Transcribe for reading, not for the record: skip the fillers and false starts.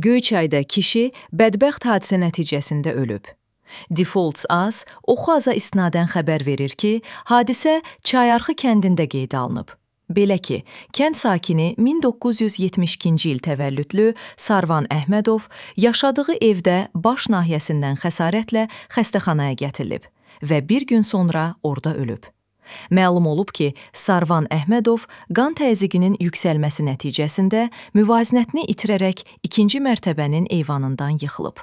Göyçayda kişi bədbəxt hadisə nəticəsində ölüb. Defaults AS Oxu-Aza isnadən xəbər verir ki, hadisə Çayarxı kəndində qeydə alınıb. Belə ki, kənd sakini 1972-ci il təvəllüdlü Sarvan Əhmədov yaşadığı evdə baş nahiyəsindən xəsarətlə xəstəxanaya gətirilib və bir gün sonra orada ölüb. Məlum olub ki, Sarvan Əhmədov qan təzyiqinin yüksəlməsi nəticəsində müvazinətini itirərək ikinci mərtəbənin eyvanından yıxılıb.